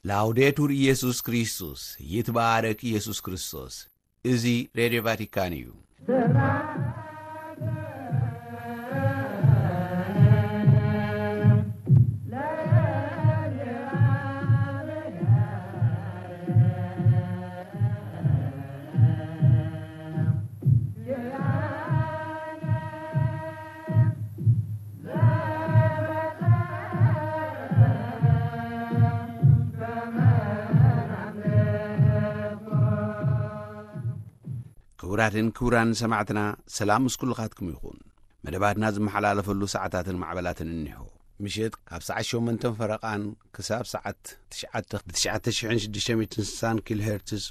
ላውዴቱር ኢየሱስ ክርስቶስ፣ ይትባረክ ኢየሱስ ክርስቶስ። እዚ ሬድዮ ቫቲካን እዩ። ክቡራትን ክቡራን ሰማዕትና፣ ሰላም ምስ ኩልኻትኩም ይኹን። መደባትና ዝመሓላለፈሉ ሰዓታትን ማዕበላትን እኒሆ። ምሸት ካብ ሰዓት ሸሞንተን ፈረቓን ክሳብ ሰዓት ትሽዓተ ብ ትሽዓተ ሽሕን ሽዱሽተ ሚእትን ስሳን ኪሎ ሄርትዝ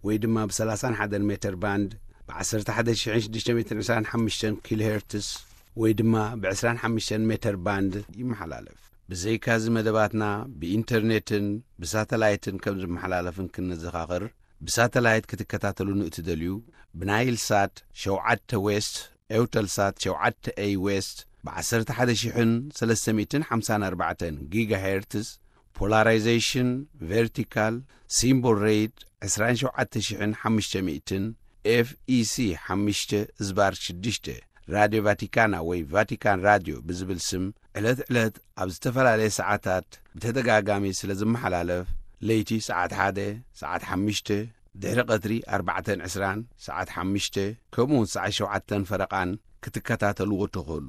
ወይ ድማ ብ ሰላሳን ሓደን ሜተር ባንድ፣ ብ ዓሰርተ ሓደ ሽሕን ሽዱሽተ ሚእትን ዕስራን ሓሙሽተን ኪሎ ሄርትዝ ወይ ድማ ብ ዕስራን ሓሙሽተን ሜተር ባንድ ይመሓላለፍ። ብዘይካዚ መደባትና ብኢንተርኔትን ብሳተላይትን ከም ዝመሓላለፍን ክንዘኻኽር፣ ብሳተላይት ክትከታተሉ ንእትደልዩ፣ ብናይል ሳት ሸውዓተ ዌስት፣ ኤውተል ሳት ሸውዓተ ኤይ ዌስት፣ ብ ዓሰርተ ሓደ ሽሕን ሰለስተ ሚእትን ሓምሳን ኣርባዕተን ጊጋ ሄርትዝ፣ ፖላራይዜሽን ቨርቲካል፣ ሲምቦል ሬት ዕስራን ሸውዓተ ሽሕን ሓሙሽተ ሚእትን፣ ኤፍ ኢ ሲ ሓሙሽተ ዝባር ሽዱሽተ፣ ራድዮ ቫቲካና ወይ ቫቲካን ራድዮ ብዝብል ስም ዕለት ዕለት ኣብ ዝተፈላለየ ሰዓታት ብተደጋጋሚ ስለ ዝመሓላለፍ፣ ለይቲ ሰዓት ሓደ፣ ሰዓት ሓሙሽተ፣ ድሕሪ ቀትሪ ኣርባዕተን ዕስራን፣ ሰዓት ሓሙሽተ፣ ከምኡ እውን ሰዓት ሸውዓተን ፈረቓን ክትከታተልዎ ትኽእሉ።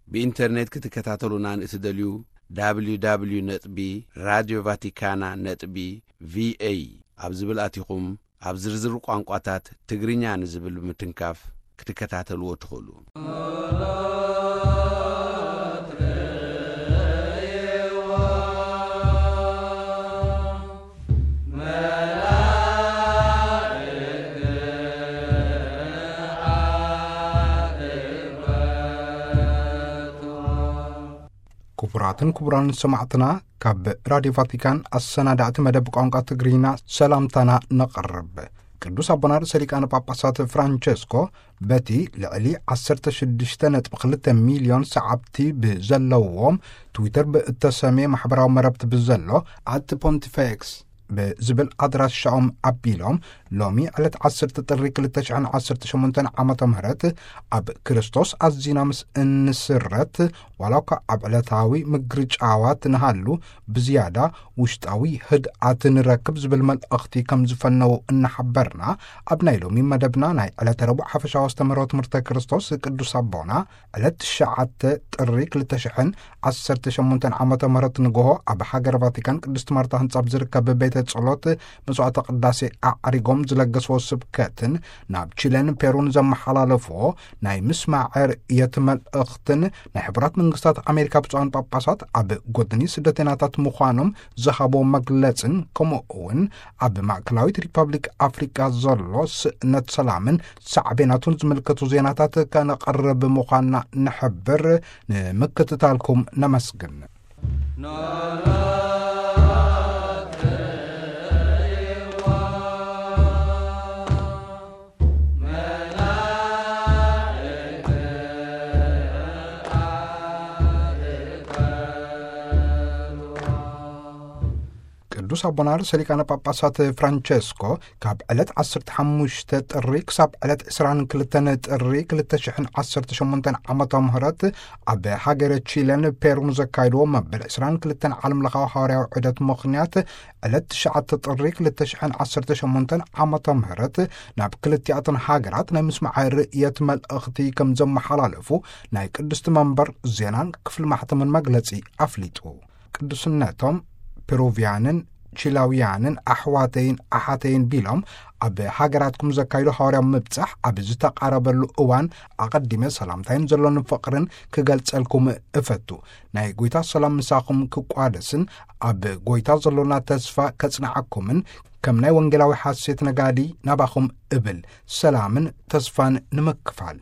ብኢንተርኔት ክትከታተሉና ንእትደልዩ፣ ደብሊው ደብሊው ደብሊው ነጥቢ ራድዮ ቫቲካና ነጥቢ ቪ ኤ ኣብ ዝብል ኣቲኹም፣ ኣብ ዝርዝር ቋንቋታት ትግርኛ ንዝብል ብምትንካፍ ክትከታተልዎ ትኽእሉ። ክቡራትን ክቡራን ሰማዕትና፣ ካብ ራድዮ ቫቲካን ኣሰናዳእቲ መደብ ቋንቋ ትግርኛ ሰላምታና ነቕርብ። ቅዱስ ኣቦና ርእሰ ሊቃነ ጳጳሳት ፍራንቸስኮ በቲ ልዕሊ ዓሰርተ ሽዱሽተ ነጥቢ ክልተ ሚልዮን ሰዓብቲ ብዘለዎም ትዊተር ብእተሰምየ ማሕበራዊ መረብቲ ብዘሎ ኣት ፖንቲፌክስ ብዝብል ኣድራሻኦም ኣቢሎም፣ ሎሚ ዕለት ዓሰርተ ጥሪ ክልተ ሽሕን ዓሰርተ ሸሞንተን ዓመተ ምህረት ኣብ ክርስቶስ ኣዚና ምስ እንስረት፣ ዋላ እኳ ኣብ ዕለታዊ ምግርጫዋት ንሃሉ፣ ብዝያዳ ውሽጣዊ ህድኣት ንረክብ ዝብል መልእኽቲ ከም ዝፈነዉ እናሓበርና፣ ኣብ ናይ ሎሚ መደብና ናይ ዕለተ ረቡዕ ሓፈሻዊ ኣስተምህሮ ትምህርተ ክርስቶስ ቅዱስ ኣቦና ዕለት ትሽዓተ ጥሪ ክልተ ሽሕን ዓሰርተ ሸሞንተን ዓመተ ምህረት ንግሆ ኣብ ሃገረ ቫቲካን ቅድስት ማርታ ህንጻ ኣብ ዝርከብ ቤተ ጸሎት መስዋዕተ ቅዳሴ ኣዕሪጎም ዝለገስዎ ስብከትን ናብ ቺለን ፔሩን ዘመሓላለፍዎ ናይ ምስማዕ ርእየት መልእኽትን ናይ ሕቡራት መንግስታት ኣሜሪካ ብፁዓን ጳጳሳት ኣብ ጎድኒ ስደተኛታት ምዃኖም ዝሃቦ መግለጽን፣ ከምኡ እውን ኣብ ማእከላዊት ሪፐብሊክ ኣፍሪቃ ዘሎ ስእነት ሰላምን ሳዕቤናቱን ዝምልከቱ ዜናታት ከነቐርብ ምዃንና ንሕብር። ንምክትታልኩም ነመስግን። ቅዱስ ኣቦና ርእሰ ሊቃነ ጳጳሳት ፍራንቸስኮ ካብ ዕለት ዓሰርተ ሓሙሽተ ጥሪ ክሳብ ዕለት ዕስራን ክልተን ጥሪ ክልተ ሽሕን ዓሰርተ ሸሞንተን ዓመተ ምህረት ኣብ ሃገረ ቺለን ፔሩን ዘካየድዎ መበል ዕስራን ክልተን ዓለም ለኻዊ ሃዋርያዊ ዑደት ምኽንያት፣ ዕለት ትሽዓተ ጥሪ ክልተ ሽሕን ዓሰርተ ሸሞንተን ዓመተ ምህረት ናብ ክልቲኣተን ሃገራት ናይ ምስማዕ ርእየት መልእኽቲ ከም ዘመሓላለፉ ናይ ቅድስቲ መንበር ዜናን ክፍሊ ማሕተምን መግለጺ ኣፍሊጡ። ቅዱስነቶም፣ ፔሩቪያንን ቺላውያንን ኣሕዋተይን ኣሓተይን ቢሎም፣ ኣብ ሃገራትኩም ዘካይዶ ሃዋርያዊ ምብጻሕ ኣብ ዝተቓረበሉ እዋን፣ ኣቐዲመ ሰላምታይን ዘሎኒ ፍቕርን ክገልጸልኩም እፈቱ። ናይ ጐይታ ሰላም ምሳኹም ክቋደስን ኣብ ጐይታ ዘሎና ተስፋ ከጽንዓኩምን፣ ከም ናይ ወንጌላዊ ሓሴት ነጋዲ ናባኹም እብል፣ ሰላምን ተስፋን ንምክፋል።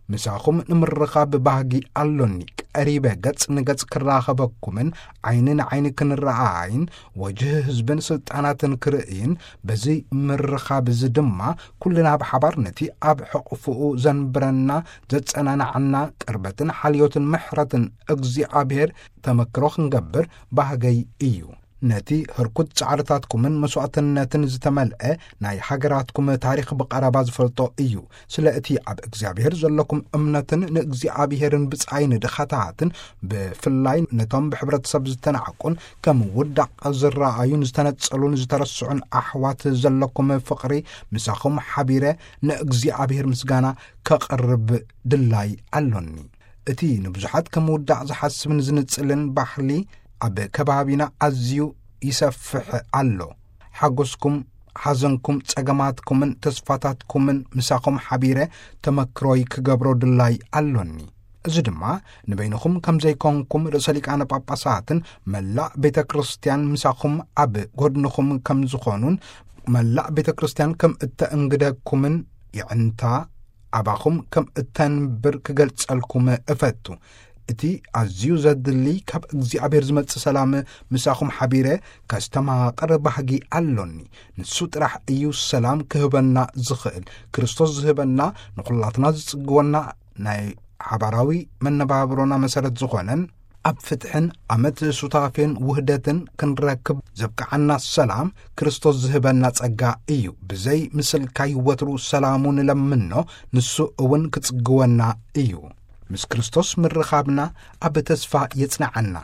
ምሳኹም ንምርኻብ ባህጊ ኣሎኒ። ቀሪበ ገጽ ንገጽ ክራኸበኩምን ዓይኒ ንዓይኒ ክንረኣኣይን ወጅህ ህዝብን ስልጣናትን ክርእይን፣ በዚ ምርኻብ እዚ ድማ ኩልና ብሓባር ነቲ ኣብ ሕቕፍኡ ዘንብረና፣ ዘጸናንዓና ቅርበትን ሓልዮትን ምሕረትን እግዚኣብሔር ተመክሮ ክንገብር ባህገይ እዩ። ነቲ ህርኩት ጻዕርታትኩምን መስዋዕትነትን ዝተመልአ ናይ ሃገራትኩም ታሪኽ ብቐረባ ዝፈልጦ እዩ። ስለ እቲ ኣብ እግዚኣብሔር ዘለኩም እምነትን ንእግዚኣብሔርን ብጻይ ንድኻታትን፣ ብፍላይ ነቶም ብሕብረተሰብ ዝተናዕቁን ከም ውዳቕ ዝረኣዩን ዝተነጸሉን ዝተረስዑን ኣሕዋት ዘለኩም ፍቕሪ፣ ምሳኹም ሓቢረ ንእግዚኣብሔር ምስጋና ከቕርብ ድላይ ኣሎኒ። እቲ ንብዙሓት ከም ውዳቕ ዝሓስብን ዝንጽልን ባህሊ ኣብ ከባቢና ኣዝዩ ይሰፍሕ ኣሎ። ሓጎስኩም፣ ሓዘንኩም፣ ጸገማትኩምን ተስፋታትኩምን ምሳኹም ሓቢረ ተመክሮይ ክገብሮ ድላይ ኣሎኒ። እዚ ድማ ንበይንኹም ከም ዘይኮንኩም፣ ርእሰ ሊቃነ ጳጳሳትን መላእ ቤተ ክርስቲያን ምሳኹም ኣብ ጎድንኹም ከም ዝኾኑን፣ መላእ ቤተ ክርስቲያን ከም እተእንግደኩምን ይዕንታ ኣባኹም ከም እተንብር ክገልጸልኩም እፈቱ። እቲ ኣዝዩ ዘድሊ ካብ እግዚኣብሔር ዝመጽእ ሰላም ምሳኹም ሓቢረ ከስተማቕር ባህጊ ኣሎኒ። ንሱ ጥራሕ እዩ ሰላም ክህበና ዝኽእል። ክርስቶስ ዝህበና፣ ንኹላትና ዝጽግወና፣ ናይ ሓባራዊ መነባብሮና መሰረት ዝኾነን ኣብ ፍትሕን ኣመት ሱታፌን ውህደትን ክንረክብ ዘብቅዓና ሰላም ክርስቶስ ዝህበና ጸጋ እዩ። ብዘይ ምስልካይ ወትሩ ሰላሙ ንለምኖ፣ ንሱ እውን ክጽግወና እዩ። ምስ ክርስቶስ ምርኻብና ኣብ ተስፋ የጽንዓና፣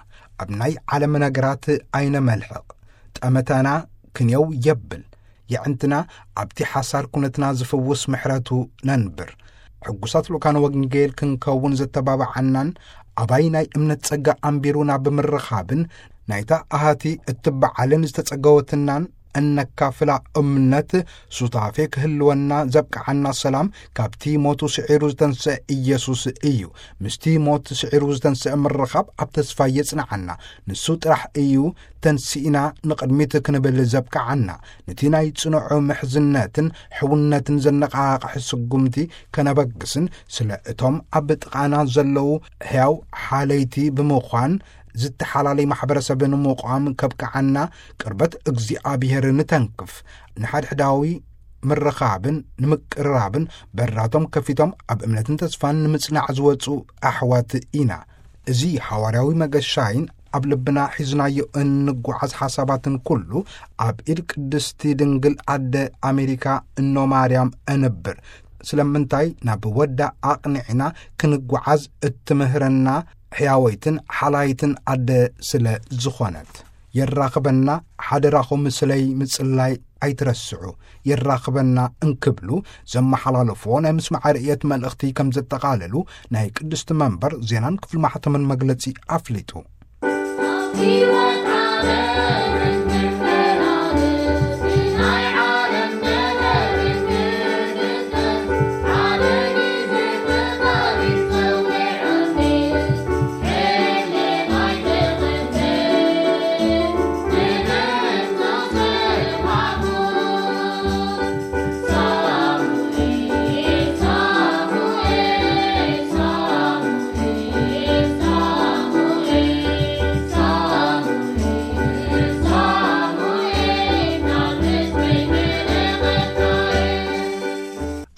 ኣብ ናይ ዓለም ነገራት ኣይነመልሕቕ። ጠመተና ክንየው የብል። የዕንትና ኣብቲ ሓሳር ኩነትና ዝፍውስ ምሕረቱ ነንብር። ሕጉሳት ልኡካን ወንጌል ክንከውን ዘተባብዓናን ኣባይ ናይ እምነት ጸጋ ኣንቢሩና ብምርኻብን ናይታ ኣሃቲ እትበዓልን ዝተጸገወትናን እነካፍላ እምነት ሱታፌ ክህልወና ዘብቅዓና ሰላም ካብቲ ሞቱ ስዒሩ ዝተንስአ ኢየሱስ እዩ። ምስቲ ሞት ስዒሩ ዝተንስአ ምርኻብ ኣብ ተስፋ የጽንዓና። ንሱ ጥራሕ እዩ ተንሲእና ንቕድሚት ክንብል ዘብቅዓና። ነቲ ናይ ጽኑዕ ምሕዝነትን ሕውነትን ዘነቓቕሕ ስጉምቲ ከነበግስን ስለ እቶም ኣብ ጥቓና ዘለዉ ሕያው ሓለይቲ ብምዃን ዝተሓላለይ ማሕበረሰብ ንምቋም ከብቅዓና ቅርበት እግዚኣብሔር ንተንክፍ። ንሓድሕዳዊ ምርኻብን ንምቅርራብን በራቶም ከፊቶም ኣብ እምነትን ተስፋን ንምጽናዕ ዝወጹ ኣሕዋት ኢና። እዚ ሓዋርያዊ መገሻይን ኣብ ልብና ሒዝናዮ እንጓዓዝ ሓሳባትን ኩሉ ኣብ ኢድ ቅድስቲ ድንግል ኣደ ኣሜሪካ እኖ ማርያም እንብር። ስለምንታይ ናብ ወዳ ኣቕኒዕና ክንጓዓዝ እትምህረና ሕያወይትን ሓላይትን ኣደ ስለ ዝኾነት። የራኽበና፣ ሓደራኹም ስለይ ምጽላይ ኣይትረስዑ። የራኽበና እንክብሉ ዘመሓላለፍዎ ናይ ምስማዕ ርእየት መልእኽቲ ከም ዘጠቓለሉ ናይ ቅድስቲ መንበር ዜናን ክፍሊ ማሕተምን መግለጺ ኣፍሊጡ።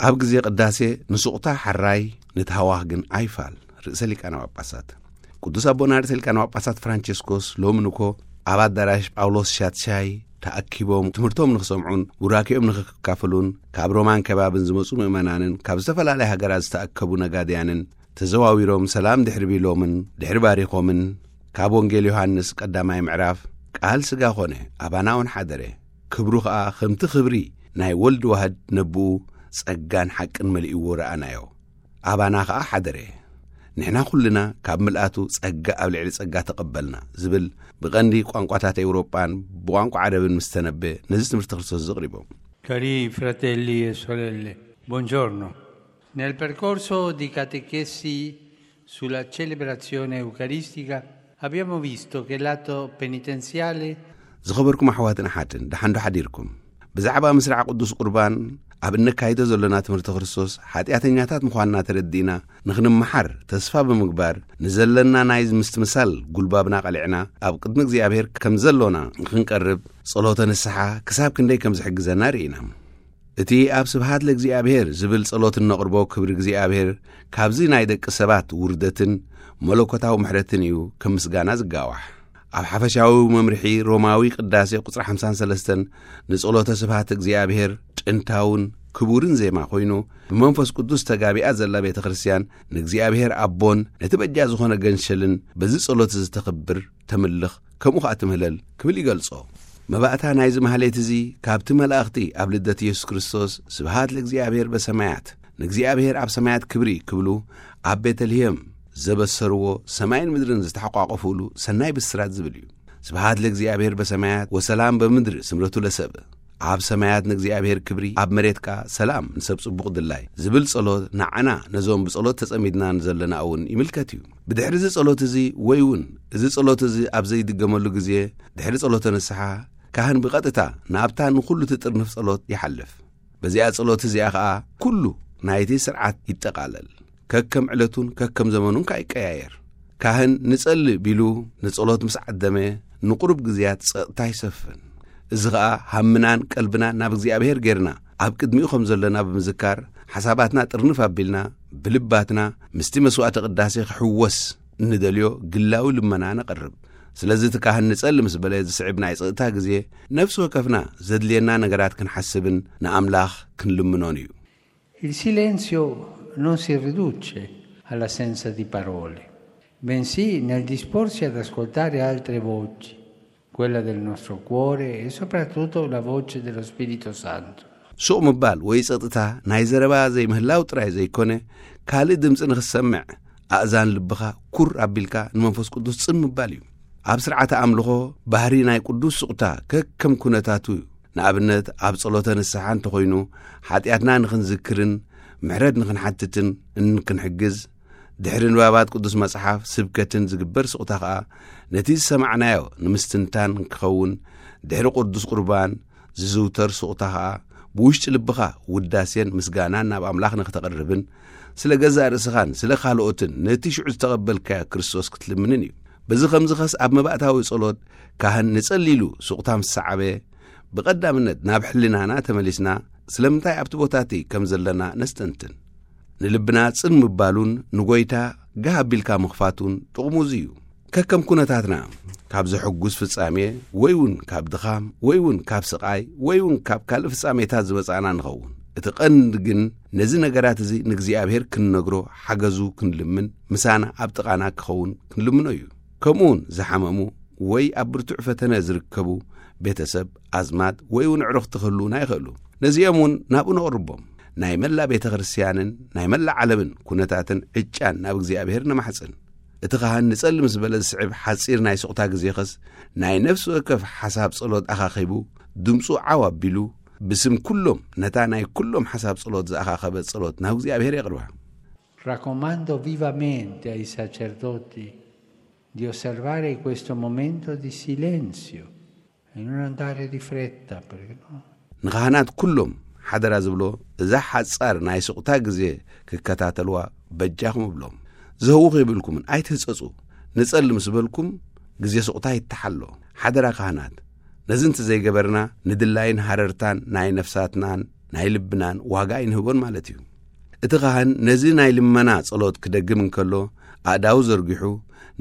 ኣብ ግዜ ቅዳሴ ንሱቕታ ሓራይ ንትሃዋኽ ግን ኣይፋል። ርእሰ ሊቃነ ጳጳሳት ቅዱስ ኣቦና ርእሰ ሊቃነ ጳጳሳት ፍራንቸስኮስ ሎሚ ንኮ ኣብ ኣዳራሽ ጳውሎስ ሻትሻይ ተኣኪቦም ትምህርቶም ንኽሰምዑን ቡራኬኦም ንኽካፈሉን ካብ ሮማን ከባብን ዝመጹ ምእመናንን ካብ ዝተፈላለያ ሃገራት ዝተኣከቡ ነጋድያንን ተዘዋዊሮም ሰላም ድሕሪ ቢሎምን ድሕሪ ባሪኾምን ካብ ወንጌል ዮሃንስ ቀዳማይ ምዕራፍ ቃል ስጋ ኾነ ኣባና እውን ሓደረ፣ ክብሩ ኸኣ ከምቲ ክብሪ ናይ ወልድ ዋህድ ነብኡ ጸጋን ሓቅን መሊእዎ ረኣናዮ። ኣባና ኸኣ ሓደረ። ንሕና ኩልና ካብ ምልኣቱ ጸጋ ኣብ ልዕሊ ጸጋ ተቐበልና ዝብል ብቐንዲ ቋንቋታት ኤውሮጳን ብቋንቋ ዓረብን ምስ ተነበ ነዚ ትምህርቲ ክርስቶስ ዘቕሪቦም። Cari fratelli e sorelle, buongiorno. Nel percorso di catechesi sulla celebrazione eucaristica abbiamo visto che l'atto penitenziale ዝኸበርኩም ኣሕዋትን ኣሓትን፣ ደሓን ዶ ሓዲርኩም? ብዛዕባ ምስራዕ ቅዱስ ቁርባን ኣብ እነካይዶ ዘሎና ትምህርቲ ክርስቶስ፣ ሓጢኣተኛታት ምዃንና ተረዲእና፣ ንኽንመሓር ተስፋ ብምግባር፣ ንዘለና ናይ ምስትምሳል ጉልባብና ቀሊዕና፣ ኣብ ቅድሚ እግዚኣብሔር ከም ዘሎና ንኽንቀርብ፣ ጸሎተ ንስሓ ክሳብ ክንደይ ከም ዝሕግዘና ርኢና። እቲ ኣብ ስብሃት ለእግዚኣብሔር ዝብል ጸሎት እነቕርቦ ክብሪ እግዚኣብሔር፣ ካብዚ ናይ ደቂ ሰባት ውርደትን መለኮታዊ ምሕረትን እዩ ከም ምስጋና ዝጋዋሕ። ኣብ ሓፈሻዊ መምርሒ ሮማዊ ቅዳሴ ቁጽሪ ሓምሳን ሰለስተን፣ ንጸሎተ ስብሃት እግዚኣብሔር ጥንታውን ክቡርን ዜማ ኮይኑ፣ ብመንፈስ ቅዱስ ተጋቢኣ ዘላ ቤተ ክርስቲያን ንእግዚኣብሔር ኣቦን ነቲ በጃ ዝኾነ ገንሸልን በዚ ጸሎት ዝተኽብር፣ ተምልኽ፣ ከምኡ ኸኣ ትምህለል ክብል ይገልጾ። መባእታ ናይዚ ማህሌት እዚ ካብቲ መላእኽቲ ኣብ ልደት ኢየሱስ ክርስቶስ "ስብሃት ለእግዚኣብሔር በሰማያት፣ ንእግዚኣብሔር ኣብ ሰማያት ክብሪ" ክብሉ ኣብ ቤተልሔም ዘበሰርዎ፣ ሰማይን ምድርን ዝተሓቋቆፉሉ ሰናይ ብስራት ዝብል እዩ። "ስብሃት ለእግዚኣብሔር በሰማያት ወሰላም በምድር ስምረቱ ለሰብ"፣ ኣብ ሰማያት ንእግዚኣብሔር ክብሪ፣ ኣብ መሬት ከኣ ሰላም ንሰብ ጽቡቕ ድላይ ዝብል ጸሎት፣ ንዓና ነዞም ብጸሎት ተጸሚድና ንዘለና እውን ይምልከት እዩ። ብድሕሪ እዚ ጸሎት እዚ፣ ወይ እውን እዚ ጸሎት እዚ ኣብ ዘይድገመሉ ግዜ፣ ድሕሪ ጸሎተ ንስሓ፣ ካህን ብቐጥታ ናብታ ንኹሉ ትጥርንፍ ጸሎት ይሓልፍ። በዚኣ ጸሎት እዚኣ ኸኣ ኩሉ ናይቲ ስርዓት ይጠቓለል። ከከም ዕለቱን ከከም ዘመኑን ከኣ ይቀያየር። ካህን ንጸሊ ቢሉ ንጸሎት ምስ ዓደመ፣ ንቁሩብ ግዜያት ጸጥታ ይሰፍን። እዚ ኸኣ ሃምናን ቀልብናን ናብ እግዚኣብሔር ጌርና፣ ኣብ ቅድሚኡ ከም ዘለና ብምዝካር፣ ሓሳባትና ጥርንፍ ኣቢልና፣ ብልባትና ምስቲ መስዋዕተ ቅዳሴ ክሕወስ እንደልዮ ግላዊ ልመና ነቕርብ። ስለዚ እቲ ካህን ንጸሊ ምስ በለ ዝስዕብ ናይ ጸጥታ ግዜ፣ ነፍሲ ወከፍና ዘድልየና ነገራት ክንሓስብን ንኣምላኽ ክንልምኖን እዩ። Il silenzio non si riduce all'assenza di parole, bensì nel disporsi ad ascoltare altre voci, quella del nostro cuore e soprattutto la voce dello Spirito Santo. ሱቕ ምባል ወይ ጸጥታ ናይ ዘረባ ዘይምህላው ጥራይ ዘይኮነ፣ ካልእ ድምጺ ንኽትሰምዕ ኣእዛን ልብኻ ኩር ኣቢልካ ንመንፈስ ቅዱስ ጽን ምባል እዩ። ኣብ ስርዓተ ኣምልኾ ባህሪ ናይ ቅዱስ ሱቕታ ከከም ኩነታቱ እዩ። ንኣብነት፣ ኣብ ጸሎተ ንስሓ እንተኾይኑ፣ ሓጢኣትና ንኽንዝክርን ምሕረት ንኽንሓትትን እንክንሕግዝ፣ ድሕሪ ንባባት ቅዱስ መጽሓፍ ስብከትን ዝግበር ስቕታ ኸኣ፣ ነቲ ዝሰማዕናዮ ንምስትንታን ክኸውን፣ ድሕሪ ቅዱስ ቁርባን ዝዝውተር ስቕታ ኸኣ፣ ብውሽጢ ልብኻ ውዳሴን ምስጋናን ናብ ኣምላኽ ንኽተቕርብን፣ ስለ ገዛእ ርእስኻን ስለ ካልኦትን ነቲ ሽዑ ዝተቐበልካዮ ክርስቶስ ክትልምንን እዩ። በዚ ኸምዚ ኸስ ኣብ መባእታዊ ጸሎት ካህን ንጸሊ ኢሉ ስቕታ ምስ ሰዓበ፣ ብቐዳምነት ናብ ሕልናና ተመሊስና፣ ስለምንታይ ኣብቲ ቦታ እቲ ከም ዘለና ነስተንትን። ንልብና ጽን ምባሉን ንጎይታ ጋህ ኣቢልካ ምኽፋቱን ጥቕሙ እዚ እዩ። ከከም ኩነታትና፣ ካብ ዘሐጉስ ፍጻሜ፣ ወይ እውን ካብ ድኻም፣ ወይ እውን ካብ ስቓይ፣ ወይ እውን ካብ ካልእ ፍጻሜታት ዝመጻእና ንኸውን። እቲ ቀንዲ ግን ነዚ ነገራት እዚ ንእግዚኣብሔር ክንነግሮ ሓገዙ ክንልምን፣ ምሳና ኣብ ጥቓና ክኸውን ክንልምኖ እዩ። ከምኡ እውን ዝሓመሙ ወይ ኣብ ብርቱዕ ፈተነ ዝርከቡ ቤተሰብ፣ ኣዝማድ ወይ እውን ኣዕሩኽቲ ክህልዉና ይኽእሉ። ነዚኦም እውን ናብኡ ነቕርቦም። ናይ መላእ ቤተ ክርስቲያንን ናይ መላእ ዓለምን ኩነታትን ዕጫን ናብ እግዚኣብሔር ነማሕጽን። እቲ ካህን ንጸሊ ምስ በለ ዝስዕብ ሓጺር ናይ ስቕታ ግዜኸስ፣ ናይ ነፍሲ ወከፍ ሓሳብ ጸሎት ኣኻኺቡ፣ ድምጹ ዓው ኣቢሉ፣ ብስም ኩሎም ነታ ናይ ኩሎም ሓሳብ ጸሎት ዝኣኻኸበት ጸሎት ናብ እግዚኣብሔር የቕርባ። Raccomando vivamente ai sacerdoti di osservare questo momento di silenzio e non andare di fretta, perché no? ንኻህናት ኩሎም ሓደራ ዝብሎ፣ እዛ ሓጻር ናይ ስቕታ ግዜ ክከታተልዋ በጃኹም እብሎም። ዝህውኽ የብልኩምን፣ ኣይትህጸጹ። ንጸሊ ምስ በልኩም፣ ግዜ ስቕታ ይተሓሎ። ሓደራ ካህናት፣ ነዚ እንተ ዘይገበርና፣ ንድላይን ሃረርታን ናይ ነፍሳትናን ናይ ልብናን ዋጋ ኣይንህቦን ማለት እዩ። እቲ ካህን ነዚ ናይ ልመና ጸሎት ክደግም እንከሎ፣ ኣእዳው ዘርጊሑ፣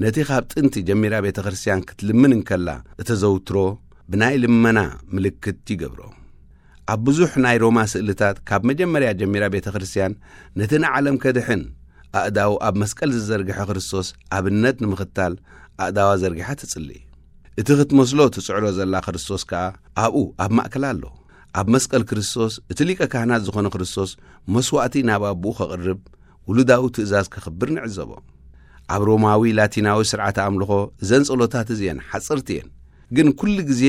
ነቲ ካብ ጥንቲ ጀሚራ ቤተ ክርስቲያን ክትልምን እንከላ እተዘውትሮ ብናይ ልመና ምልክት ይገብሮ። ኣብ ብዙሕ ናይ ሮማ ስእልታት፣ ካብ መጀመርያ ጀሚራ ቤተ ክርስቲያን ነቲ ንዓለም ከድሕን ኣእዳው ኣብ መስቀል ዝዘርግሐ ክርስቶስ ኣብነት ንምኽታል ኣእዳዋ ዘርጊሓ ትጽሊ። እቲ ክትመስሎ ትጽዕሮ ዘላ ክርስቶስ ከኣ ኣብኡ ኣብ ማእከላ ኣሎ። ኣብ መስቀል ክርስቶስ፣ እቲ ሊቀ ካህናት ዝኾነ ክርስቶስ መስዋእቲ ናብ ኣቦኡ ከቕርብ ውሉዳዊ ትእዛዝ ከኽብር ንዕዘቦ። ኣብ ሮማዊ ላቲናዊ ስርዓተ ኣምልኾ እዘን ጸሎታት እዚኤን ሓጸርቲ እየን፣ ግን ኩሉ ግዜ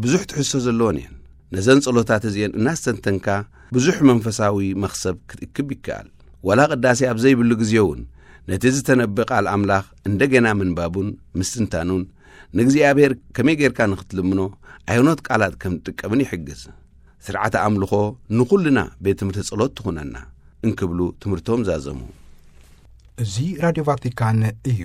ብዙሕ ትሕዝቶ ዘለወን እየን። ነዘን ጸሎታት እዚኤን እናስተንተንካ ብዙሕ መንፈሳዊ መኽሰብ ክትእክብ ይከኣል። ዋላ ቅዳሴ ኣብ ዘይብሉ ግዜ እውን ነቲ ዝተነብእ ቃል ኣምላኽ እንደገና ምንባቡን ምስትንታኑን ንእግዚኣብሔር ከመይ ጌርካ ንኽትልምኖ ኣየኖት ቃላት ከም ትጥቀምን ይሕግዝ። ስርዓተ ኣምልኾ ንኹልና ቤት ትምህርቲ ጸሎት ትኹነና እንክብሉ ትምህርቶም ዛዘሙ። እዚ ራድዮ ቫቲካን እዩ።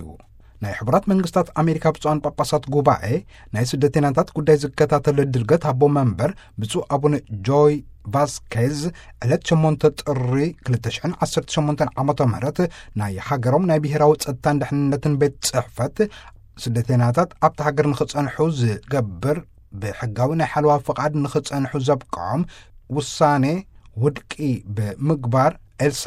ናይ ሕቡራት መንግስታት ኣሜሪካ ብፁዓን ጳጳሳት ጉባኤ ናይ ስደተኛታት ጉዳይ ዝከታተል ድርገት ኣቦ መንበር ብፁዕ ኣቡነ ጆይ ቫስኬዝ ዕለት ሸሞንተ ጥሪ ክልተ ሽሕን ዓሰርተ ሸሞንተን ዓመተ ምህረት ናይ ሃገሮም ናይ ብሔራዊ ጸጥታን ድሕንነትን ቤት ጽሕፈት ስደተኛታት ኣብቲ ሃገር ንኽጸንሑ ዝገብር፣ ብሕጋዊ ናይ ሓለዋ ፍቓድ ንኽጸንሑ ዘብቅዖም ውሳኔ ውድቂ ብምግባር፣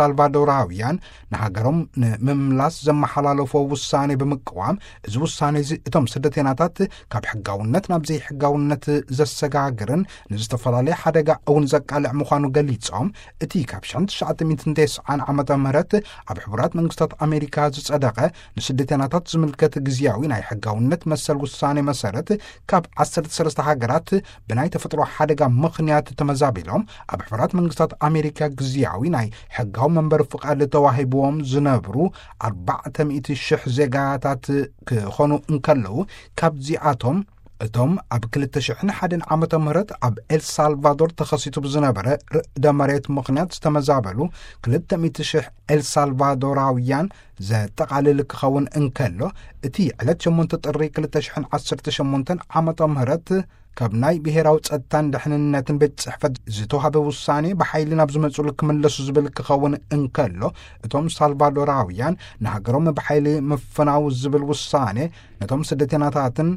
ኤልሳልቫዶራውያን ንሃገሮም ንምምላስ ዘመሓላለፎ ውሳኔ ብምቅዋም፣ እዚ ውሳኔ እዚ እቶም ስደተኛታት ካብ ሕጋውነት ናብ ዘይሕጋውነት ዘሰጋግርን ንዝተፈላለየ ሓደጋ እውን ዘቃልዕ ምዃኑ ገሊጾም፣ እቲ ካብ ሽሕን ትሽዓተ ሚእትን ተስዓን ዓመተ ምህረት ኣብ ሕቡራት መንግስታት ኣሜሪካ ዝጸደቐ ንስደተኛታት ዝምልከት ግዝያዊ ናይ ሕጋውነት መሰል ውሳኔ መሰረት፣ ካብ ዓሰርተ ሰለስተ ሃገራት ብናይ ተፈጥሮ ሓደጋ ምኽንያት ተመዛቢሎም ኣብ ሕቡራት መንግስታት ኣሜሪካ ግዝያዊ ናይ ሕጋዊ መንበሪ ፍቓድ ተዋሂብዎም ዝነብሩ ኣርባዕተ ሚእቲ ሽሕ ዜጋታት ክኾኑ እንከለዉ፣ ካብዚኣቶም እቶም ኣብ ክልተ ሽሕን ሓደን ዓመተ ምህረት ኣብ ኤልሳልቫዶር ተኸሲቱ ብዝነበረ ርእደ መሬት ምኽንያት ዝተመዛበሉ ክልተ ሚእቲ ሽሕ ኤልሳልቫዶራውያን ዘጠቓልል ክኸውን እንከሎ፣ እቲ ዕለት ሸሞንተ ጥሪ ክልተ ሽሕን ዓሰርተ ሸሞንተን ዓመተ ምህረት ካብ ናይ ብሔራዊ ጸጥታን ድሕንነትን ቤት ጽሕፈት ዝተዋህበ ውሳኔ ብሓይሊ ናብ ዝመጹሉ ክምለሱ ዝብል ክኸውን እንከሎ፣ እቶም ሳልቫዶራውያን ንሃገሮም ብሓይሊ ምፍናው ዝብል ውሳኔ ነቶም ስደተኛታትን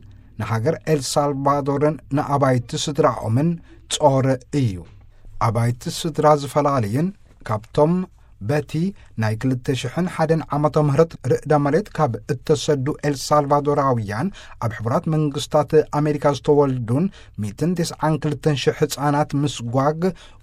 ንሃገር ኤልሳልቫዶርን ንኣባይቲ ስድራኦምን ጾር እዩ። ኣባይቲ ስድራ ዝፈላለዩን ካብቶም በቲ ናይ ክልተ ሽሕን ሓደን ዓመተ ምህረት ርእደ መሬት ካብ እተሰዱ ኤልሳልቫዶራውያን ኣብ ሕቡራት መንግስታት ኣሜሪካ ዝተወልዱን ሚእትን ተስዓን ክልተን ሽሕ ህጻናት ምስጓግ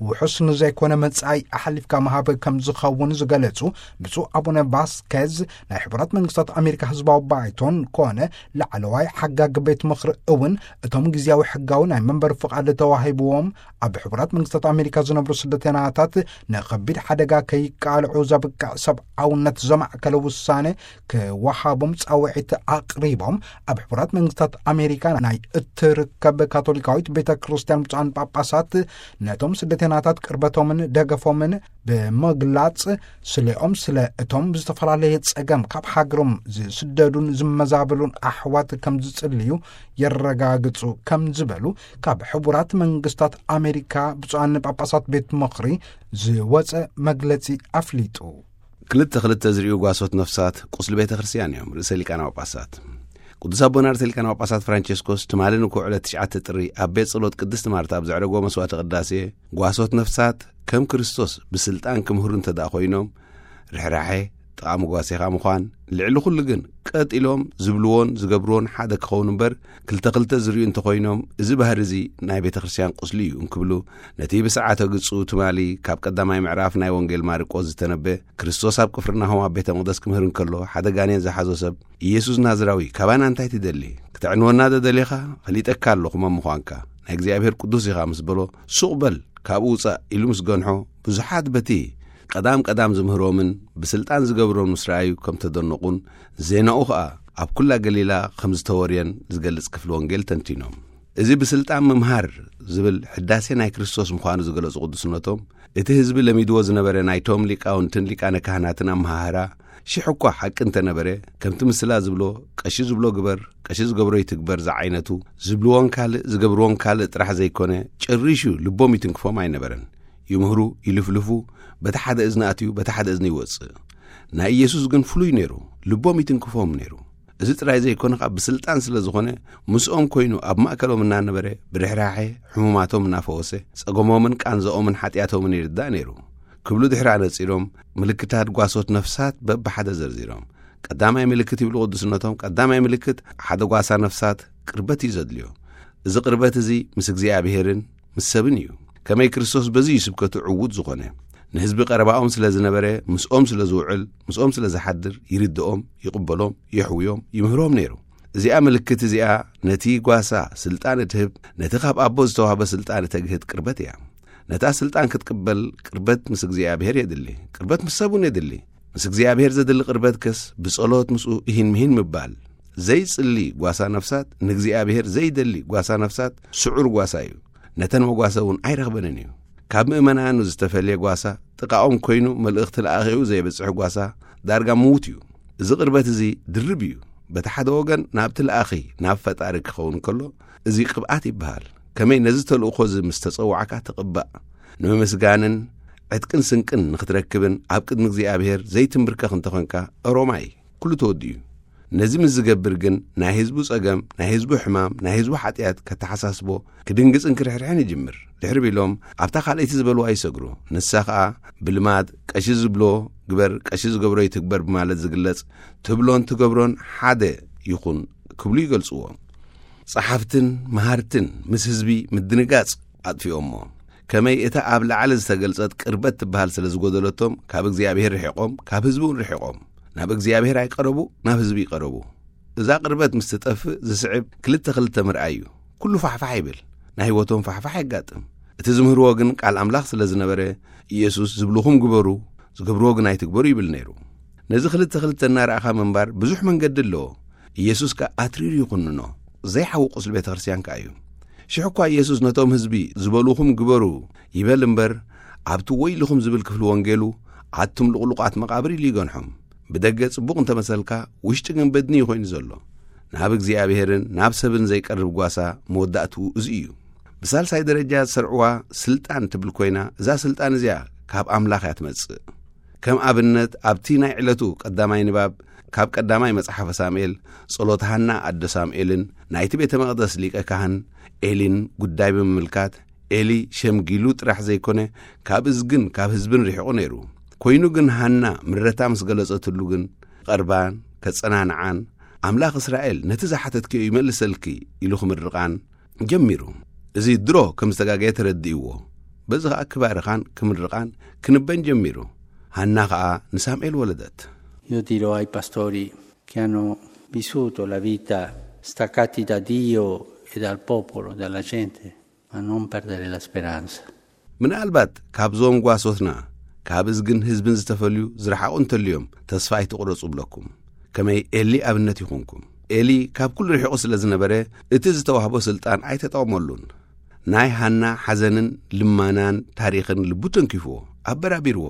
ውሑስ ንዘይኮነ መጻኢ ኣሕሊፍካ ምሃብ ከም ዝኸውን ዝገለጹ ብፁዕ ኣቡነ ቫስኬዝ፣ ናይ ሕቡራት መንግስታት ኣሜሪካ ህዝባዊ ባይቶን ኮነ ላዕለዋይ ሓጋጊ ቤት ምኽሪ እውን እቶም ግዝያዊ ሕጋዊ ናይ መንበሪ ፍቓድ ተዋሂብዎም ኣብ ሕቡራት መንግስታት ኣሜሪካ ዝነብሩ ስደተኛታት ንኸቢድ ሓደጋ ከይቃልዑ ዘብቅዕ ሰብኣውነት ዘማእከለ ውሳኔ ክወሃቦም ጻውዒት ኣቕሪቦም፣ ኣብ ሕቡራት መንግስታት ኣሜሪካ ናይ እትርከብ ካቶሊካዊት ቤተ ክርስቲያን ብፁዓን ጳጳሳት ነቶም ስደተኛታት ቅርበቶምን ደገፎምን ብምግላጽ፣ ስሌኦም ስለ እቶም ብዝተፈላለየ ጸገም ካብ ሃገሮም ዝስደዱን ዝመዛበሉን ኣሕዋት ከም ዝጽልዩ የረጋግጹ ከም ዝበሉ ካብ ሕቡራት መንግስታት ኣሜሪካ ብፁዓን ጳጳሳት ቤት ምኽሪ ዝወጸ መግለጺ ኣፍሊጡ። ክልተ ክልተ ዝርእዩ ጓሶት ነፍሳት ቁስሊ ቤተ ክርስቲያን እዮም፣ ርእሰ ሊቃነ ጳጳሳት። ቅዱስ ኣቦና ርእሰ ሊቃነ ጳጳሳት ፍራንቸስኮስ ትማሊ ንኩዕ ዕለት ትሽዓተ ጥሪ ኣብ ቤት ጸሎት ቅድስት ማርታ ኣብ ዘዕረጎ መስዋዕተ ቅዳሴ፣ ጓሶት ነፍሳት ከም ክርስቶስ ብስልጣን ክምህሩ እንተ ደኣ ኮይኖም፣ ርሕራሐ፣ ጥቓ መጓሴኻ ምዃን፣ ልዕሊ ኩሉ ግን ቀጥ ኢሎም ዝብልዎን ዝገብርዎን ሓደ ክኸውን እምበር፣ ክልተ ክልተ ዝርእዩ እንተኾይኖም፣ እዚ ባህሪ እዚ ናይ ቤተ ክርስቲያን ቁስሊ እዩ እንክብሉ፣ ነቲ ብሰዓተ ግጹ ትማሊ ካብ ቀዳማይ ምዕራፍ ናይ ወንጌል ማርቆስ ዝተነበ፣ ክርስቶስ ኣብ ቅፍርናሆም ኣብ ቤተ መቕደስ ክምህር እንከሎ፣ ሓደ ጋኔን ዝሓዞ ሰብ፣ "ኢየሱስ ናዝራዊ፣ ካባና እንታይ ትደሊ? ክተዕንወና ዶ ደሊኻ? ፈሊጠካ ኣለኹ መን ምዃንካ። ናይ እግዚኣብሔር ቅዱስ ኢኻ" ምስ በሎ፣ "ሱቕ በል፣ ካብኡ ውጻእ" ኢሉ ምስ ገንሖ፣ ብዙሓት በቲ ቀዳም ቀዳም ዝምህሮምን ብስልጣን ዝገብሮን ምስ ረኣዩ ከም ተደነቑን፣ ዜናኡ ኸኣ ኣብ ኩላ ገሊላ ከም ዝተወርየን ዝገልጽ ክፍሊ ወንጌል ተንቲኖም። እዚ ብስልጣን ምምሃር ዝብል ሕዳሴ ናይ ክርስቶስ ምዃኑ ዝገለጹ ቅዱስነቶም፣ እቲ ህዝቢ ለሚድዎ ዝነበረ ናይቶም ሊቃውንትን ሊቃነ ካህናትን ኣመሃህራ፣ ሽሕ እኳ ሓቂ እንተነበረ፣ ከምቲ ምስላ ዝብሎ፣ "ቀሺ ዝብሎ ግበር፣ ቀሺ ዝገብሮ ይትግበር" ዝዓይነቱ፣ ዝብልዎን ካልእ ዝገብርዎን ካልእ ጥራሕ ዘይኮነ፣ ጭሪሹ ልቦም ይትንክፎም ኣይነበረን። ይምህሩ፣ ይልፍልፉ፣ በቲ ሓደ እዝኒ ኣትዩ፣ በቲ ሓደ እዝኒ ይወጽእ። ናይ ኢየሱስ ግን ፍሉይ ነይሩ፣ ልቦም ይትንክፎም ነይሩ። እዚ ጥራይ ዘይኮነ፣ ካብ ብስልጣን ስለ ዝኾነ፣ ምስኦም ኮይኑ ኣብ ማእከሎም እናነበረ፣ ብርሕራሐ ሕሙማቶም እናፈወሰ፣ ጸገሞምን ቃንዛኦምን ሓጢኣቶምን ይርዳእ ነይሩ። ክብሉ ድሕሪ ኣነጺሮም፣ ምልክታት ጓሶት ነፍሳት በብሓደ ዘርዚሮም፣ ቀዳማይ ምልክት ይብሉ ቅዱስነቶም፣ ቀዳማይ ምልክት ሓደ ጓሳ ነፍሳት ቅርበት እዩ ዘድልዮ። እዚ ቅርበት እዚ ምስ እግዚኣብሔርን ምስ ሰብን እዩ። ከመይ ክርስቶስ በዚ እዩ ስብከቱ ዕዉት ዝኾነ። ንህዝቢ ቀረባኦም ስለ ዝነበረ፣ ምስኦም ስለ ዝውዕል፣ ምስኦም ስለ ዝሓድር፣ ይርድኦም፣ ይቕበሎም፣ የሕውዮም፣ ይምህሮም ነይሩ። እዚኣ ምልክት እዚኣ ነቲ ጓሳ ስልጣን እትህብ፣ ነቲ ካብ ኣቦ ዝተዋህበ ስልጣን እተግህድ ቅርበት እያ። ነታ ስልጣን ክትቅበል ቅርበት ምስ እግዚኣብሔር የድሊ። ቅርበት ምስ ሰብ እውን የድሊ። ምስ እግዚኣብሔር ዘድሊ ቅርበት ከስ ብጸሎት ምስኡ እሂን ምሂን ምባል። ዘይጽሊ ጓሳ ነፍሳት፣ ንእግዚኣብሔር ዘይደሊ ጓሳ ነፍሳት ስዑር ጓሳ እዩ። ነተን መጓሰ እውን ኣይረኽበንን እዩ። ካብ ምእመናኑ ዝተፈልየ ጓሳ ጥቓኦም ኮይኑ መልእኽቲ ለኣኺኡ ዘየብጽሕ ጓሳ ዳርጋ ምዉት እዩ። እዚ ቅርበት እዚ ድርብ እዩ። በቲ ሓደ ወገን ናብቲ ለኣኺ፣ ናብ ፈጣሪ ክኸውን ከሎ፣ እዚ ቅብኣት ይበሃል። ከመይ ነዚ ተልእኾ እዚ ምስ ተጸዋዕካ ትቕባእ። ንምምስጋንን ዕጥቅን ስንቅን ንኽትረክብን ኣብ ቅድሚ እግዚኣብሔር ዘይትምብርከኽ እንተኾንካ፣ ሮማይ፣ ኩሉ ተወዲኡ እዩ። ነዚ ምስ ዝገብር ግን ናይ ህዝቡ ጸገም፣ ናይ ህዝቡ ሕማም፣ ናይ ህዝቡ ሓጢኣት ከተሓሳስቦ ክድንግጽን ክርሕርሕን ይጅምር። ድሕሪ ቢሎም ኣብታ ካልኣይቲ ዝበልዋ ይሰግሩ። ንሳ ኸኣ ብልማድ ቀሺ ዝብሎ ግበር፣ ቀሺ ዝገብሮ ይትግበር ብማለት ዝግለጽ ትብሎን ትገብሮን ሓደ ይኹን ክብሉ ይገልጽዎ። ጸሓፍትን መሃርትን ምስ ህዝቢ ምድንጋጽ ኣጥፊኦሞ። ከመይ እታ ኣብ ላዕሊ ዝተገልጸት ቅርበት ትበሃል ስለ ዝጎደለቶም ካብ እግዚኣብሔር ርሒቖም፣ ካብ ህዝቢ እውን ርሒቖም። ናብ እግዚኣብሔር ኣይቀረቡ፣ ናብ ህዝቢ ይቀረቡ። እዛ ቅርበት ምስ ትጠፍእ ዝስዕብ ክልተ ክልተ ምርኣይ እዩ። ኩሉ ፋሕፋሕ ይብል፣ ናይ ህይወቶም ፋሕፋሕ የጋጥም። እቲ ዝምህርዎ ግን ቃል ኣምላኽ ስለ ዝነበረ፣ ኢየሱስ ዝብልኹም ግበሩ፣ ዝገብርዎ ግን ኣይትግበሩ ይብል ነይሩ። ነዚ ክልተ ክልተ እናረኣኻ ምንባር ብዙሕ መንገዲ ኣለዎ። ኢየሱስ ከኣ ኣትሪሩ ይኹንኖ፣ ዘይሓዊ ቁስሊ ቤተ ክርስቲያን ከኣ እዩ። ሽሕ እኳ ኢየሱስ ነቶም ህዝቢ ዝበልኹም ግበሩ ይበል እምበር፣ ኣብቲ ወይልኹም ዝብል ክፍሊ ወንጌሉ ኣቱም ልቑሉቓት መቓብር ኢሉ ይገንሖም። ብደገ ጽቡቕ እንተመሰልካ፣ ውሽጢ ግን በድኒ እዩ ኮይኑ ዘሎ። ናብ እግዚኣብሔርን ናብ ሰብን ዘይቀርብ ጓሳ መወዳእትኡ እዚ እዩ። ብሳልሳይ ደረጃ ዝሰርዕዋ ስልጣን ትብል ኮይና፣ እዛ ስልጣን እዚኣ ካብ ኣምላኽ እያ ትመጽእ። ከም ኣብነት ኣብቲ ናይ ዕለቱ ቀዳማይ ንባብ ካብ ቀዳማይ መጽሓፈ ሳሙኤል ጸሎት ሃና ኣደ ሳሙኤልን ናይቲ ቤተ መቕደስ ሊቀ ካህን ኤሊን ጉዳይ ብምምልካት፣ ኤሊ ሸምጊሉ ጥራሕ ዘይኮነ ካብ እዝግን ካብ ህዝብን ርሒቑ ነይሩ። ኮይኑ ግን ሃና ምረታ ምስ ገለጸትሉ ግን ቀርባን ከጸናንዓን፣ ኣምላኽ እስራኤል ነቲ ዝሓተትክዮ ይመልሰልኪ ኢሉ ክምርቓን ጀሚሩ። እዚ ድሮ ከም ዝተጋገየ ተረዲእዎ። በዚ ኸኣ ክባርኻን ክምርቓን ክንበን ጀሚሩ። ሃና ኸኣ ንሳሙኤል ወለደት። Io dirò ai pastori che hanno vissuto la vita staccati da Dio e dal popolo, dalla gente, ma non perdere la speranza. ምናልባት ካብዞም ጓሶትና ካብ እዝግን ህዝብን ዝተፈልዩ ዝረሓቑ እንተልዮም ተስፋ ኣይትቑረጹ እብለኩም። ከመይ ኤሊ ኣብነት ይኹንኩም። ኤሊ ካብ ኩሉ ርሒቑ ስለ ዝነበረ እቲ ዝተዋህቦ ስልጣን ኣይተጠቕመሉን። ናይ ሃና ሓዘንን ልማናን ታሪኽን ልቡ ተንኪፍዎ፣ ኣበራቢርዎ።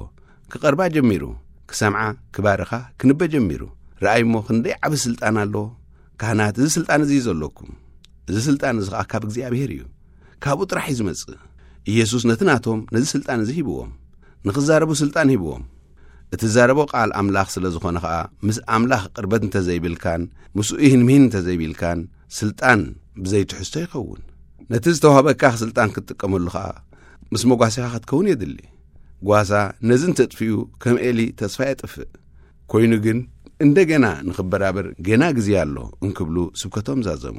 ክቐርባ ጀሚሩ፣ ክሰምዓ፣ ክባርኻ፣ ክንበ ጀሚሩ። ረኣይ እሞ ክንደይ ዓቢ ስልጣን ኣለዎ። ካህናት፣ እዚ ስልጣን እዚ እዩ ዘለኩም። እዚ ስልጣን እዚ ኸኣ ካብ እግዚኣብሔር እዩ። ካብኡ ጥራሕ እዩ ዝመጽእ። ኢየሱስ ነቲ ናቶም ነዚ ስልጣን እዚ ሂብዎም። ንኽዛረቡ ስልጣን ሂብዎም። እትዛረቦ ቃል ኣምላኽ ስለ ዝኾነ ኸኣ፣ ምስ ኣምላኽ ቅርበት እንተዘይብልካን፣ ምስኡ ይህንምሂን እንተዘይቢልካን፣ ስልጣን ብዘይትሕዝቶ ይኸውን። ነቲ ዝተዋህበካ ስልጣን ክትጥቀመሉ ኸኣ፣ ምስ መጓሲኻ ክትከውን የድሊ። ጓሳ ነዚ እንተጥፊኡ፣ ከም ኤሊ ተስፋ የጥፍእ። ኮይኑ ግን፣ እንደገና ንኽበራበር ገና ግዜ ኣሎ እንክብሉ ስብከቶም ዛዘሙ።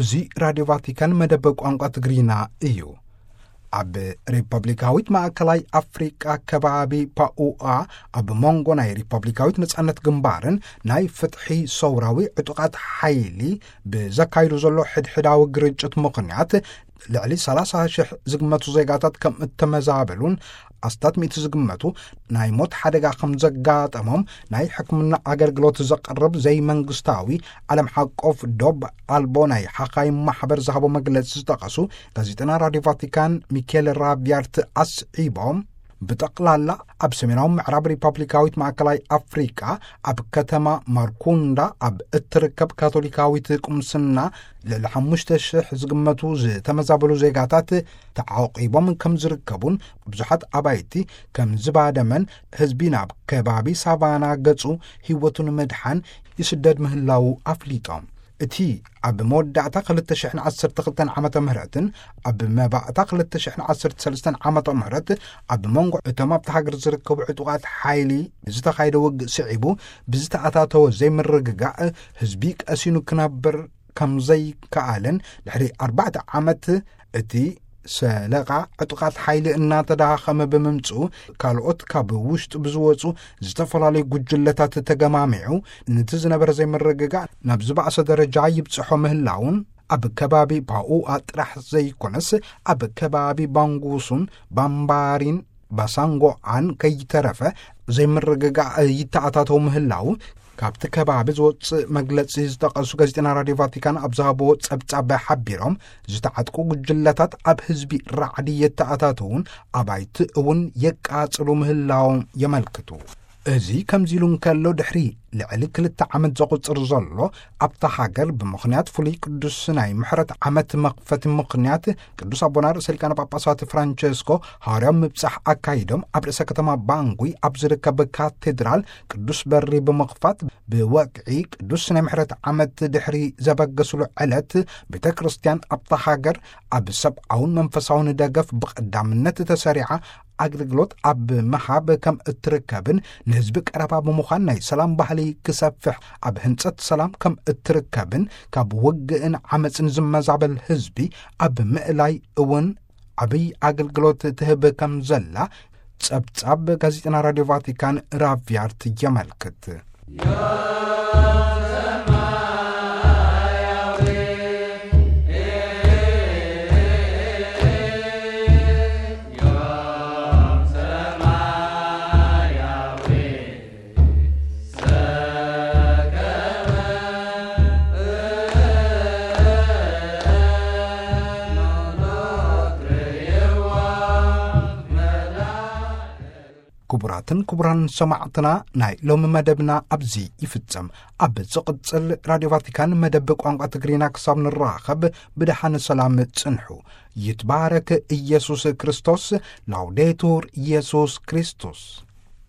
እዚ ራድዮ ቫቲካን መደብ ቋንቋ ትግርኛ እዩ። ኣብ ሪፐብሊካዊት ማእከላይ ኣፍሪቃ ከባቢ ፓኡኣ፣ ኣብ መንጎ ናይ ሪፐብሊካዊት ነጻነት ግንባርን ናይ ፍትሒ ሰውራዊ ዕጡቓት ሓይሊ ብዘካይዱ ዘሎ ሕድሕዳዊ ግርጭት ምኽንያት፣ ልዕሊ ሰላሳ ሽሕ ዝግመቱ ዜጋታት ከም እተመዛበሉን ኣስታት ሚእቲ ዝግመቱ ናይ ሞት ሓደጋ ከም ዘጋጠሞም ናይ ሕክምና ኣገልግሎት ዘቕርብ ዘይመንግስታዊ ዓለም ሓቆፍ ዶብ ኣልቦ ናይ ሓኻይም ማሕበር ዝሃቦ መግለጺ ዝጠቐሱ ጋዜጠና ራድዮ ቫቲካን ሚኬል ራቢያርት ኣስዒቦም፣ ብጠቕላላ ኣብ ሰሜናዊ ምዕራብ ሪፐብሊካዊት ማእከላይ ኣፍሪቃ ኣብ ከተማ ማርኩንዳ ኣብ እትርከብ ካቶሊካዊት ቁምስና ልዕሊ ሓሙሽተ ሽሕ ዝግመቱ ዝተመዛበሉ ዜጋታት ተዓቂቦም ከም ዝርከቡን፣ ብዙሓት ኣባይቲ ከም ዝባደመን፣ ህዝቢ ናብ ከባቢ ሳቫና ገጹ ህይወቱ ንምድሓን ይስደድ ምህላዉ ኣፍሊጦም። እቲ ኣብ መወዳእታ ክልተ ሽሕን ዓሰርተ ክልተን ዓመተ ምህረትን ኣብ መባእታ ክልተ ሽሕን ዓሰርተ ሰለስተን ዓመተ ምህረት ኣብ መንጎ እቶም ኣብቲ ሃገር ዝርከቡ ዕጡቓት ሓይሊ ዝተኻየደ ውግእ ስዒቡ ብዝተኣታተወ ዘይምርግጋእ፣ ህዝቢ ቀሲኑ ክነብር ከም ዘይከኣለን፣ ድሕሪ ኣርባዕተ ዓመት እቲ ሰለቓ ዕጡቓት ሓይሊ እናተዳኸመ ብምምጽኡ፣ ካልኦት ካብ ውሽጡ ብዝወጹ ዝተፈላለዩ ጉጅለታት ተገማሚዑ፣ ነቲ ዝነበረ ዘይምርግጋእ ናብ ዝበኣሰ ደረጃ ይብጽሖ ምህላውን፣ ኣብ ከባቢ ፓኡኣ ጥራሕ ዘይኮነስ፣ ኣብ ከባቢ ባንጉሱን ባምባሪን ባሳንጎኣን ከይተረፈ ዘይምርግጋእ ይተኣታተው ምህላው፣ ካብቲ ከባቢ ዝወጽእ መግለጺ ዝጠቐሱ ጋዜጠና ራድዮ ቫቲካን ኣብ ዝሃብዎ ጸብጻብ ሓቢሮም፣ ዝተዓጥቁ ጉጅለታት ኣብ ህዝቢ ራዕዲ የተኣታተውን ኣባይቲ እውን የቃጽሉ ምህላዎም የመልክቱ። እዚ ከምዚ ኢሉ እንከሎ፣ ድሕሪ ልዕሊ ክልተ ዓመት ዘቑጽር ዘሎ፣ ኣብታ ሃገር ብምኽንያት ፍሉይ ቅዱስ ናይ ምሕረት ዓመት መኽፈቲ ምኽንያት፣ ቅዱስ ኣቦና ርእሰ ሊቃነ ጳጳሳት ፍራንቸስኮ ሃዋርያዊ ምብጻሕ ኣካይዶም፣ ኣብ ርእሰ ከተማ ባንጉይ ኣብ ዝርከብ ካቴድራል ቅዱስ በሪ ብምኽፋት፣ ብወግዒ ቅዱስ ናይ ምሕረት ዓመት ድሕሪ ዘበገስሉ ዕለት፣ ቤተ ክርስቲያን ኣብታ ሃገር ኣብ ሰብኣውን መንፈሳውን ደገፍ ብቐዳምነት ተሰሪዓ ኣገልግሎት ኣብ ምሃብ ከም እትርከብን፣ ንህዝቢ ቀረባ ብምዃን ናይ ሰላም ባህሊ ክሰፍሕ ኣብ ህንጸት ሰላም ከም እትርከብን፣ ካብ ውግእን ዓመጽን ዝመዛበል ህዝቢ ኣብ ምእላይ እውን ዓብይ ኣገልግሎት ትህብ ከም ዘላ ጸብጻብ ጋዜጠና ራድዮ ቫቲካን ራቪያርት የመልክት። ክቡራትን ክቡራን ሰማዕትና፣ ናይ ሎሚ መደብና ኣብዚ ይፍጸም። ኣብ ዝቕጽል ራድዮ ቫቲካን መደብ ቋንቋ ትግርኛ ክሳብ ንራኸብ ብደሓን ሰላም ጽንሑ። ይትባረክ ኢየሱስ ክርስቶስ። ላውዴቱር ኢየሱስ ክርስቶስ።